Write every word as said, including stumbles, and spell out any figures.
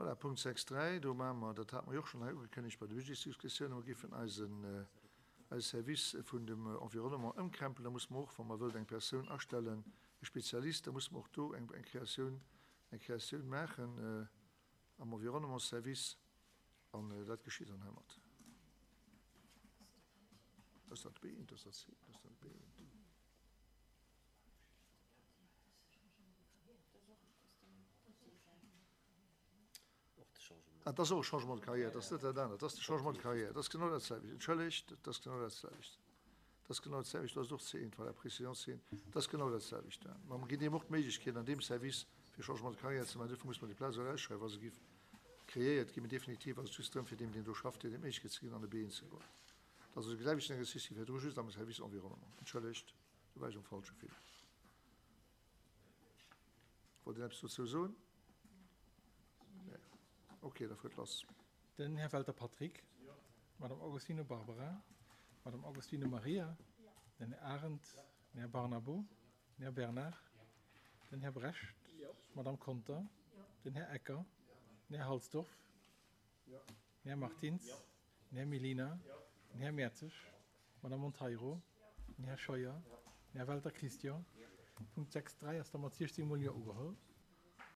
Voilà, Punkt sechs dräi, do maache mer, dat hate mer jo och schonn hei ugekënnegt bei de Budgetsdiskussiounen, mer géifen eisen, eise Service vun dem Environnement ëmkrempelen. Da musse mer och, wa mer wëllt eng Persoun astellen, e Spezialist, da musse mer och do eng, eng Kreatioun, eng Kreatioun maachen am Environnementsservice. An dat geschitt dann heimat. Ass dat B eent, ass dat C eent, ass dat B eent? Ah, dat ass och e Changement de carrière, dat ass net dat anert, dat ass de Changement de carrière, dat ass genau dat selwecht. Entschëllegt, dat ass genau dat selwecht. Dat ass genau dat selwecht, dat ass och C eent, voilà, Précision C eent, dat ass genau dat selwecht. Mä mer ginn deem och d'Méiglechkeet an deem Service, fir Changement de carrière ze maachen. Duerfir muss mer déi Plaz och ausschreiwen, wa se géif kreéiert ginn. Mee definitiv ass et just drëm, fir deem, deen do schafft, deem d'Méiglechkeet ze ginn, an de B eent ze goen. Dat ass also de selwechten Exercice wéi virdru, just am Service Environnement. Entschëllegt, do war ech am falsche Fil. Wollt een eppes dozou soen? Nee. Okay, da fuert lass. Den Här Welter Patrick. D'Madame Augustino Barbara. D'Madame Augustino Maria. Den Här Arendt. Den Här Barnabo. Den Här Bernard. Den Här Brecht. D'Madame Conter. Den Här Ecker. Den Här Halsdorf. Den Här Martins. Den Här Mellina. Den Här Mertzig. D'Madame Monteiro. Den Här Scheuer. Den Här Welter Christian. Punkt sechs dräi ass da mat siechzéng mol Jo ugeholl.